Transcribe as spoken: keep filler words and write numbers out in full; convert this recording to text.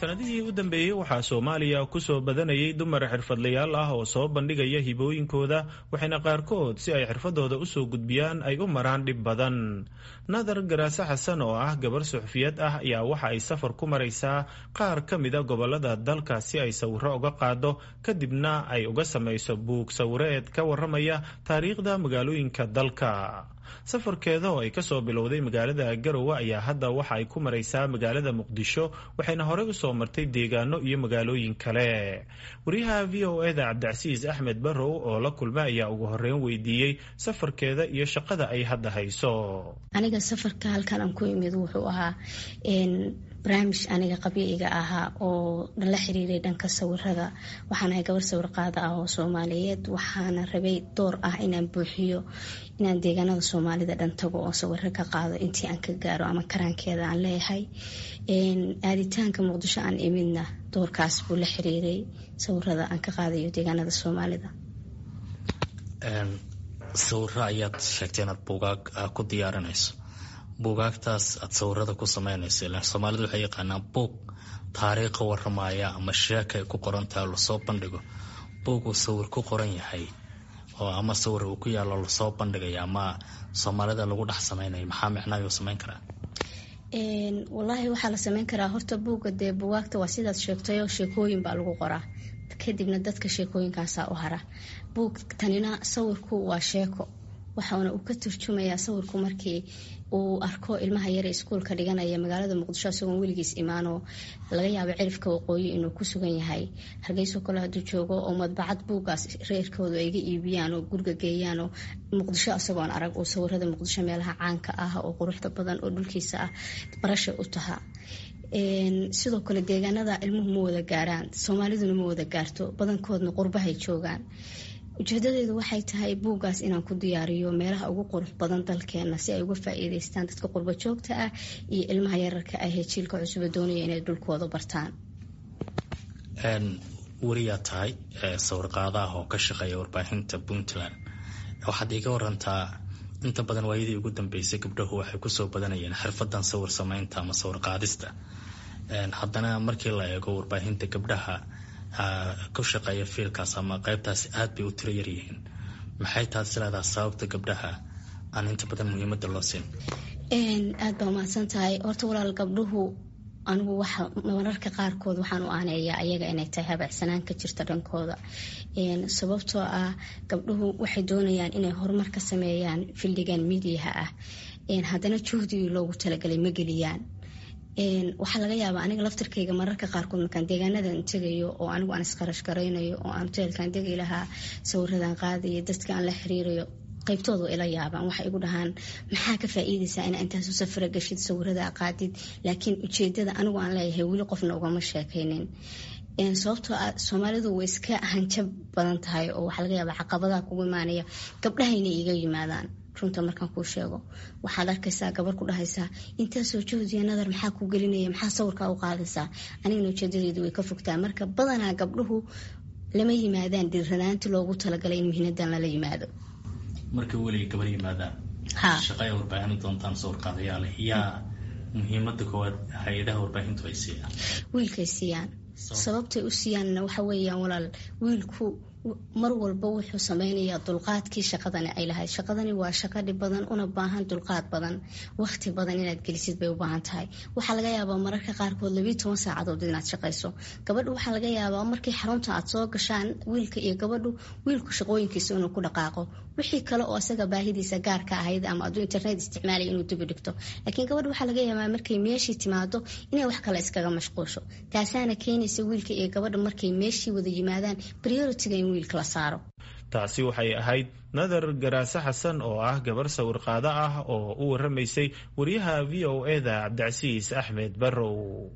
Sanadihii u dambeeyey waxaa Soomaaliya ku soo badanayay dumar xirfadlayaal ah oo soo bandhigaya hibooyinkooda, waxayna qaarkood si ay xirfadooda usoo gudbiyaan ay u maraan dhib badan. Nadar Garaase Xasan oo ah gabar suxufiyad ah ayaa waxa ay safar ku maraysaa qaar ka mida gobolada dalka si ay sawiro uga qaado, kadibna ay uga samayso buug sawireed ka waramaya taariikhda magaalooyinka dalka. Safarkeeda oo ay kasoo bilowday magaalada Garowe ayaa hadda waxa ay ku maraysaa magaalada Muqdisho, waxayna horey usoo martay deegaano iyo magaalooyin kale. Wariyaha V O e da Cabdicasiis Axmed Barrow oo la kulma ayaa ugu horeyn weydiiyey safarkeeda iyo shaqada ay hadda hayso. Aniga safarka halkan aan ku imid wuxuu ahaa barnaamij aniga qabyo iga ahaa oo la xiriiray dhanka sawirada. Waxaan ahay gabar sawir qaada ah oo Soomaaliyeed, waxaana rabay door ah inaan buuxiyo, inaan deegaanada Soomaalida dhan tago oo sawiro ka qaado intii aan ka gaaro ama karaankeeda aan leeyahay. Aaditaanka Muqdisho aan imidna doorkaas buu la xiriiray, sawirada aan ka qaadayo deegaanada Soomaalida. Sawiro ayaad sheegtay inaad buugaag ku diyaarinayso. Buugaagtaas aad sawirada ku sameynayso, ilaan Soomaalida waxay yaqaanaan buug taariikha waramaya ama sheeka ay ku qoran tahay oo lasoo bandhigo. Buug uu sawir ku qoran yahay oo ama sawir uu ku yaalo lasoo bandhigaya ama Soomaalida lagu dhex sameynayo, maxaa micnaha uu sameyn karaa? Wallaahi, waxaa la sameyn karaa horta buugga, dee buugaagta waa sidaad sheegtayoo sheekooyin baa lagu qoraa, kadibna dadka sheekooyinkaasaa u hara. Buug tanina sawirku waa sheeko, waxaana uu ka turjumayaa sawirku markii uu arko ilmaha yare iskuulka dhiganaya magaalada Muqdisho isagoon weligiis imaanoo laga yaabo cirifka waqooyi inuu ku sugan yahay, Hargeyso kale hadduu joogo oo madbacad buuggaas reerkoodu ay ga iibiyaan oo guriga geeyaanoo Muqdisho isagoon arag uu sawirada Muqdisho, meelaha caanka ah oo quruxda badan oo dhulkiisa ah, barasha u taha. Sidoo kale deegaanada ilmuhu ma wada gaaraan, Soomaaliduna ma wada gaarto, badankoodna qurbahay joogaan. Ujeedadeedu waxay tahay buuggaas inaan ku diyaariyo meelaha ugu qurux badan dalkeena si ay uga faa-iideystaan dadka qurbo joogta ah iyo ilmaha yararka ah ee jiilka cusuba doonaya inay dhulkooda bartaan. Weriyaa tahay sawirqaadaah oo ka shaqeeya warbaahinta Puntland. Waxaad iiga warantaa, inta badan waayadii ugu dambeysay gabdhahu waxay kusoo badanayeen xirfadan sawir sameynta ama sawir qaadista. Haddana markii la eego warbaahinta, gabdhaha ku shaqeeya fiilkaas ama qaybtaasi aad bay u tiro yaryihiin. Maxay taas leedaha sababta gabdhaha aan inta badan muhiimada loo siin? Aad baa umahadsan tahay. Horta walaal, gabdhuhu anigu waxa mararka qaarkood waxaan u aaneeyaa ayaga inay tahay habacsanaan ka jirta dhankooda, sababtoo ah gabdhuhu waxay doonayaan inay horumar ka sameeyaan fieldigan miidiyaha ah, haddana juhdigii loogu talagalay ma geliyaan. Waxaa laga yaabaa aniga laftarkayga mararka qaarkood markaan deegaanadan tegayo oo anigu aan isqarash garaynayo oo aan hoteelkaan degi lahaa, sawiradan qaadayo, dadka aan la xiriirayo, qaybtooda ila yaabaan. Waxay igu dhahaan, "Maxaa ka faa-iideysaa inaa intaasu safra gashid, sawirada qaadid?" Laakiin ujeedada anigu aan leeyahay weli qofna ugama sheekaynin, sababtoo ah Soomaalidu way iska hanjab badan tahay oo waxaa laga yaabaa caqabadaha kugu imaanaya gabdhahayna iiga yimaadaan. Runta markaan kuu sheego, waxaad arkaysaa gabar ku dhahaysaa, "Intaasoo juhdiya, Nadar, maxaa ku gelinaya? Maxaa sawirkaa u qaadaysaa?" Anigana ujeedadeedu way ka fogtaa. Marka badanaa gabdhuhu lama yimaadaan dhiiranaanti loogu talagalay in muhiinadan lala yimaado. Markay weliga gabar yimaadaan shaqay warbaahin doontaan sawirqaadayaale, yaa muhiimada koowaad hay-adaha warbaahintu ay siiyaan? Wiilkay siiyaan. Sababtay u siiyaanna waxa weeyaan, walaal, wiilku mar walba wuxuu sameynayaa dulqaadkii shaqadani ay lahayd. Shaqadani waa shaqo dhib badan una baahan dulqaad badan, waqti badan inaad gelisid bay u baahan tahay. Waxaa laga yaabaa mararka qaarkood labiiyo toban saacadood inaad shaqayso. Gabadhu waxaa laga yaabaa markii xarunta aad soo gashaan, wiilka iyo gabadhu, wiilku shaqooyinkiisa inuu ku dhaqaaqo, wixii kale oo isaga baahidiisa gaarka ahayd ama aduu internet isticmaalaya inuu dibi dhigto, laakiin gabadhu waxaa laga yaabaa markay meeshii timaado inay wax kale iskaga mashquusho. Taasaana keenaysa wiilka iyo gabadha markay meeshii wada yimaadaan priorityga in wiilka la saaro. Taasi waxay ahayd Nadar Garaase Xasan oo ah gabar sawirqaado ah oo u waramaysay wariyaha V O e da Cabdicasiis Axmed Barrow.